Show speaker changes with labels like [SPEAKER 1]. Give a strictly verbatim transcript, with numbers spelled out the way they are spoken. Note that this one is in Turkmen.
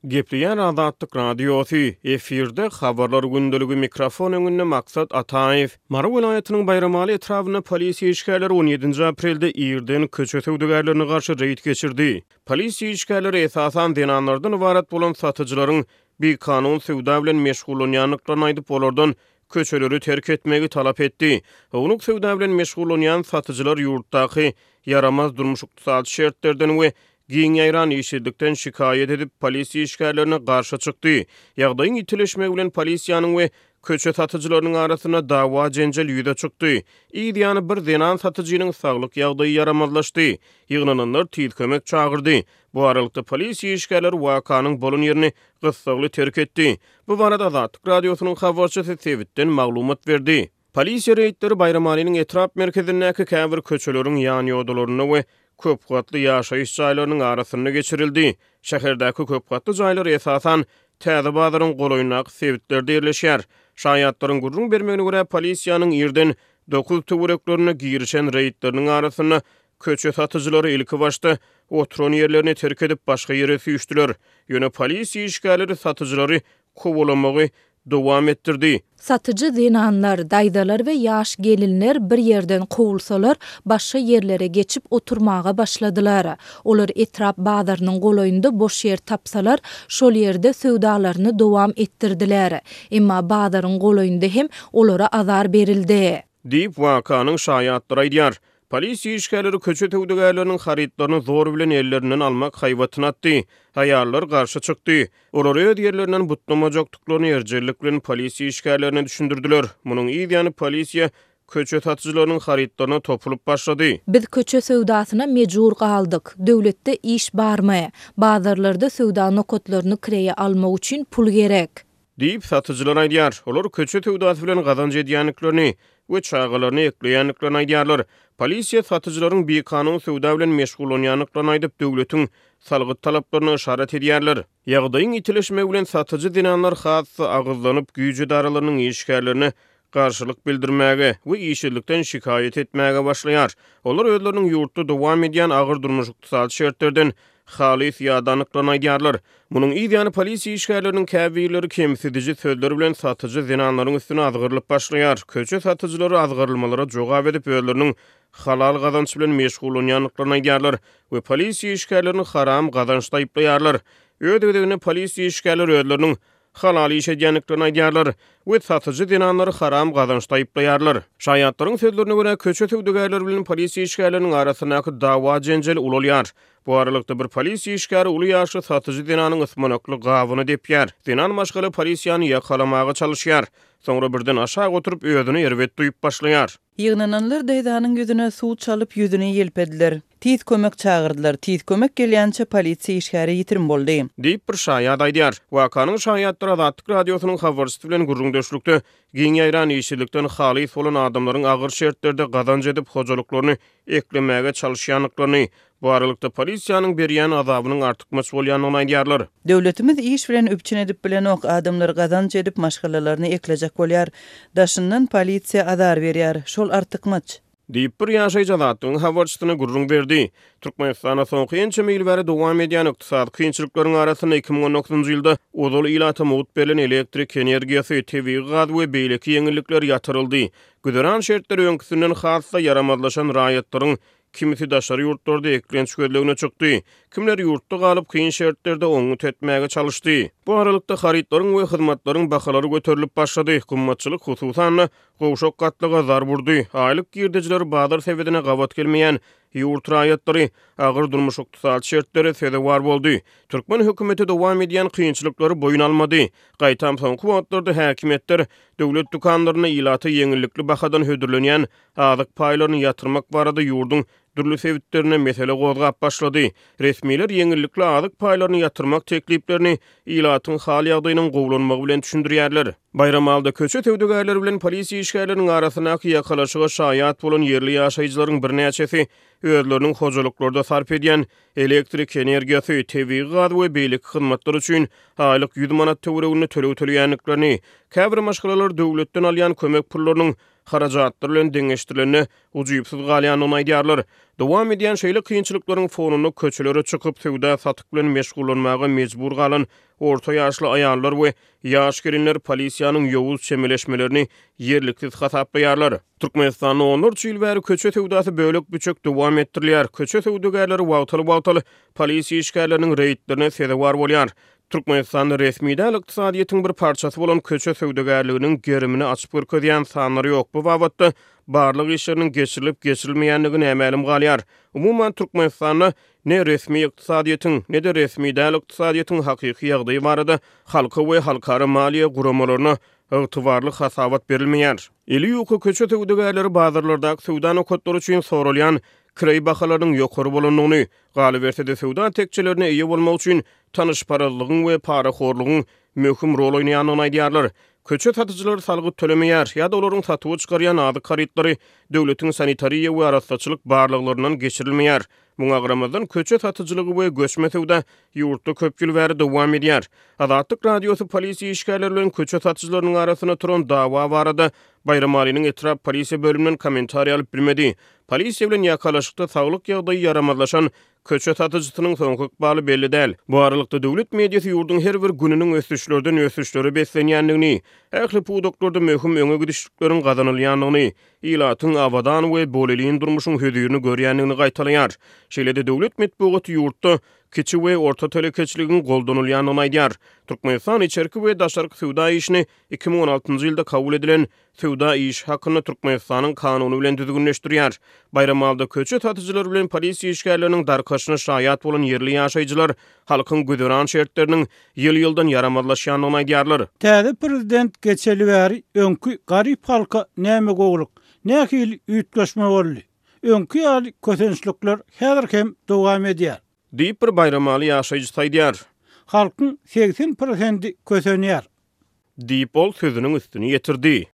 [SPEAKER 1] Gepleýär Azatlyk Radiosy, efirde Habarlar gündeligi, mikrofon öňünde Maksat Ataýew. Mary welaýatynyň Baýramaly etrabynda polisiýa işgärleri on ýedinji aprelde irden köçe söwdagärlerine garşy reýd geçirdi. Polisiýa işgärleri esasan zenanlardan ybarat bolan satyjylaryň bikanun söwda bilen meşgullanýandyklaryny aýdyp, olardan köçeleri terk etmegi talap etdi. Ownuk söwda bilen meşgullanýan satyjylar ýurtdaky ýaramaz durmuş-ykdysady şertlerden we giň ýaýran işsizlikden şikaýat edip, polisiýa işgärlerine garşy çykdy. Ýagdaýyň ýitileşmegi bilen polisiýanyň we köçe satyjylarynyň arasynda dawa-jenjel ýüze çykdy. Yz ýany bir zenan satyjynyň saglyk ýagdaýy ýaramazlaşdy. Ýygnananlar tiz kömek çagyrdy. Bu aralykda polisiýa işgärleri wakanyň bolan ýerini gyssagly terk etdi. Bu barada Azatlyk Radiosynyň habarçysy sebitden maglumat berdi. Polisiýa reýdleri Baýramalynyň etrap merkezindäki käbir köçeleriň ýanýodalarynda we köpgatly ýaşaýyş jaýlarynyň arasynda geçirildi. Şäherdäki köpgatly jaýlar esasan Täze bazaryň golaýyndaky sebitlerde ýerleşýär. Şaýatlaryň gürrüň bermegine görä, polisiýanyň irden dokuz töwereklerinde girişen reýdleriniň arasynda köçe satyjylary ilki başda oturan ýerlerini terk edip başga ýere süýşdüler. Ýöne polisiýa işgärleri satyjylary kowalamagy dowam etdirdi.
[SPEAKER 2] Satyjy zenanlar, daýzalar we ýaş gelinler bir ýerden kowulsalar, başga ýerlere geçip oturmaga başladylar. Olar etrap bazarynyň golaýynda boş ýer tapsalar, şol ýerde söwdalaryny dowam etdirdiler. Emma bazaryň golaýynda hem olara azar berildi.
[SPEAKER 1] Diýip, wakanyň şaýatlary aýdýar. Polisiýa işgärleri köçe söwdagärleriniň harytlaryny zor bilen ellerinden almak haýbatyny atdy. Aýallar garşy çykdy. Olar öz ýerlerinden butlamajakdyklaryny erjellik bilen polisiýa işgärlerine düşündirdiler. Munuň yz ýany polisiýa köçe satyjylarynyň harytlaryna topulyp başlady.
[SPEAKER 2] Biz köçe söwdasyna mejbur galdyk. Döwletde iş barmy? Bazarlarda söwda nokatlaryny kireýe almak üçin pul gerek.
[SPEAKER 1] Diýip, satyjylar aýdýar. Olar köçe söwdasy bilen gazanç edýändiklerini we çagalaryny ekleýändiklerini aýdýarlar. Polisiýa satyjylaryň bikanun söwda bilen meşgullanýandyklaryny aýdyp, döwletiň salgyt talaplaryna yşarat edýärler. Ýagdaýyň ýitileşmegi bilen satyjy zenanlar has-da agyzlanyp, güýç edaralarynyň işgärlerine garşylyk bildirmäge we işsizlikden şikaýat etmäge başlaýar. Olar özleriniň ýurtda dowam edýän agyr durmuş-ykdysady şertlerden halys ýadandyklaryny aýdýarlar. Munuň yz ýany polisiýa işgärleriniň käbirleri kemsidiji sözler bilen satyjy zenanlaryň üstüne azgyrylyp başlaýar. Köçe satyjylary azgyrylmalara jogap edip, özleriniň halal gazanç bilen meşgullanýandyklaryny aýdýarlar we polisiýa işgärlerini haram gazançda aýyplaýarlar. Öz gezeginde polisiýa işgärleri özleriniň halal iş edýändiklerini aýdýarlar we satyjy zenanlary haram gazançda aýyplaýarlar. Şaýatlaryň sözlerine görä, köçe söwdagärleri bilen polisiýa işgärleriniň arasyndaky dawa-jenjel ulalýar. Bu aralykda bir polisiýa işgäri uly ýaşly satyjy zenanyň ysmanakly gabyny depýär. Zenan maşgala polisiýany ýakalamaga çalyşýar. Soňra birden aşak oturyp özüni erbet duýup başlaýar.
[SPEAKER 3] Ýygnananlar daýzanyň ýüzüne suw çalyp ýüzüni ýelpediler. Tiz kömek çagyrdylar. Tiz kömek gelýänçä polisiýa işgäri ýitirim boldy.
[SPEAKER 1] Diýip bir şaýat aýdýar. Wakanyň şaýatlary Azatlyk Radiosynyň habarçysy bilen gürrüňdeşlikde giň ýaýran işsizlikden halys bolan adamlaryň agyr şertlerde gazanç edip hojalyklaryny eklemäge çalyşýandyklaryny, bu aralykda polisiýanyň berýän azabynyň artykmaç bolýandygyny aýdýarlar.
[SPEAKER 3] Döwletimiz iş bilen üpjün edip bilenok, adamlar gazanç edip maşgalalaryny eklejek bolýar. Daşyndan polisiýa azar berýär. Şol artykmaç.
[SPEAKER 1] Diýip bir ýaşaýjy Azatlygyň habarçysyna gürrüň berdi. Türkmenistanda soňky ençeme ýyl bäri dowam edýän ykdysady kynçylyklaryň arasynda iki müň on dokuzynjy ýylda ozal ilata mugt berlen elektrik energiýasy, tebigy gaz we beýleki ýeňillikler ýatyryldy. Güzeran şertleri öňküsinden has-da ýaramazlaşan raýatlaryň kimisi daşary ýurtlarda eklenç gözlegine çykdy, kimler ýurtda galyp kyn şertlerde oňňut etmäge çalyşdy. Bu aralykda harytlaryň we hyzmatlaryň bahalary göterilip başlady. Gymmatçylyk hususan-da gowşak gatlaga zarb urdy. Aýlyk girdejileri bazar sebedine gabat gelmeýän ýurt raýatlary agyr durmuş-ykdysady şertlere sezewar boldy. Türkmen hökümeti dowam edýän kynçylyklary boýun almady. Gaýtam soňky wagtlarda häkimiýetler döwlet dükanlarynda ilata ýeňillikli bahadan hödürlenýän azyk paýlaryny ýatyrmak barada ýurduň dürli sebitlerine mesele gozgap başlady. Resmiler ýeňillikli azyk paýlaryny ýatyrmak tekliplerini ilatyň hal ýagdaýynyň gowulanmagy bilen düşündirýärler. Baýramalda köçe söwdagärleri bilen polisiýa işgärleriniň arasyndaky ýakalaşyga şaýat bolan ýerli ýaşaýjylaryň birnäçesi özleriniň hojalyklarda sarp edýän elektrik energiýasy, tebigy gaz we beýleki hyzmatlar üçin aýlyk ýüz manat töwereginde töleg töleýändiklerini, käbir maşgalalar döwletden alýan kömek pullarynyň harajatlar bilen deňeşdirilende ujypsyz galýandygyny aýdýarlar. Dowam edýän şeýle kynçylyklaryň fonunda köçelere çykyp, söwda-satyk bilen meşgullanmaga mejbur galan orta ýaşly aýallar we ýaş gelinler polisiýanyň ýowuz çemeleşmelerini ýerliksiz hasaplaýarlar. Türkmenistanda onlarça ýyl bäri köçe söwdasy bölek-büçek dowam etdirilýär. Köçe söwdagärleri wagtal-wagtal polisiýa işgärleriniň reýdlerine sezewar bolýar. Türkmenistanda resmi däl ykdysadyýetiň bir parçasy bolan köçe söwdagärliginiň gerimini açyp görkezýän sanlar ýok. Bu babatda barlag işleriniň geçirilip-geçirilmeýändigi nämälim galýar. Umuman, Türkmenistanda ne resmi ykdysadyýetiň, ne-de resmi däl ykdysadyýetiň hakyky ýagdaýy barada halka we halkara maliýe guramalaryna ygtybarly hasabat berilmeýär. Eli ýuka köçe söwdagärleri bazarlardaky söwda nokatlary üçin soralýan kireý bahalarynyň ýokary bolandygyny, galyberse-de söwda tekjelerine eýe bolmak üçin tanyşparazlygyň we parahorlugyň möhüm rol oýnaýandygyny aýdýarlar. Köçe satyjylary salgyt tölemeýär ýa-da olaryň satuwa çykarýan azyk harytlary döwletiň sanitariýa we arassaçylyk barlaglaryndan geçirilmeýär. Muňa garamazdan, köçe satyjylygy we göçme söwda ýurtda köp ýyl bäri dowam edýär. Azatlyk Radiosy polisiýa işgärleri bilen köçe satyjylarynyň arasynda turan dawa barada Baýramalynyň etrap polisiýa bölüminden kommentariý alyp bilmedi. Polisiýa bilen ýakalaşykda saglyk ýagdaýy ýaramazlaşan köçe satyjysynyň soňky ykbaly belli däl. Bu aralykda, döwlet mediasy ýurduň her bir gününiň ösüşlerden ösüşlere beslenýändigini, ähli pudaklarda möhüm öňe gidişlikleriň gazanylýandygyny, ilatyň abadan we bolelin durmuşyň hözirini görýändigini gaýtalaýar. Şeýle-de döwlet metbugaty ýurtda kiçi we orta telekeçiligiň goldanylýandygyny aýdýar. Türkmenistan içerki we daşarky söwda işini iki müň on altynjy ýylda kabul edilen Söwda işi hakynda Türkmenistanyň Kanuny bilen düzgünleşdirýär. Baýramalyda köçe satyjylary bilen polisiýa işgärleriniň darkaşyna şaýat bolan ýerli ýaşaýjylar halkyň güzeran şertleriniň ýyl-ýyldan ýaramazlaşýandygyny aýdýarlar.
[SPEAKER 4] Täze prezident geçeli bäri öňki garyp halka näme gowulyk, nähili üýtgeşme boldy? Öňki ýaly kösençlikler häzir hem dowam edýär.
[SPEAKER 1] Diýip, bir baýramaly ýaşaýjysy aýdýar.
[SPEAKER 4] Halkyň segsen prosendi kösenýär.
[SPEAKER 1] Diýip, ol sözüniň üstüni ýetirdi.